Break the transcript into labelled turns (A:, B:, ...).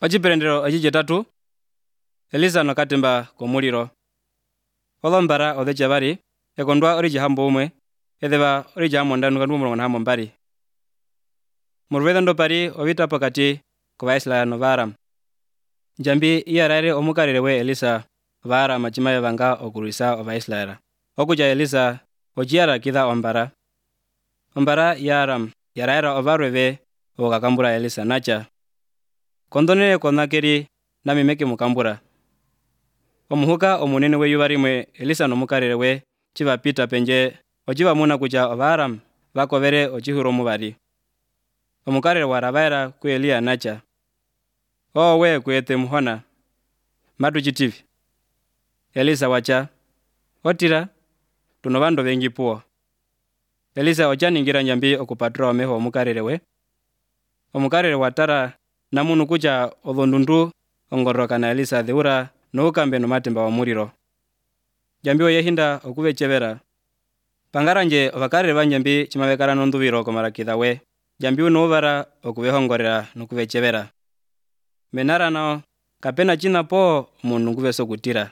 A: Ociperendero ocicitatu, Elisa nokatemba komuliro. Olombara odheca bari, ekondwa oricihambo umwe, edheba oricihamo ndanu kandu mulongo mbari. Muruveda ndo pari ovita pokati kuvaisila no Vaaramu. Njambi iyaraire omukalile we Elisa Vaaramu acimaye vanga okulwisa ovaisiraela. Okuja Elisa ociyara kitha ombara. Ombara ya Aramu yaraira ovarweve okakambura Elisa naca. Kondonele konakeri namimeke mukambura. Omuhuka omunene we yuva rimwe Elisa nomukalile we civapita penje ocivamuna kuja ovaaramu vakovere ocihuro muvari. Omukalile waravaera ku Eliya naca. We kuete muhona. Matu citivi. Elisa waca. Otira. Tuno vandu vengi puo. Elisa ocaningira njambi okupatura omeho omukalile we. Omukalile watara namunu kuja olondundu ongoroka na Elisa theura noukambe nomatemba omuliro. Njambi oyehinda okuvecevera. Pangaranje ovakalile vanjambi cimavekala nonduviro komarakitha we. Njambi unouvara okuvehongorera nokuvecevera. Menara nao kapena cina po munu nguveso kutira.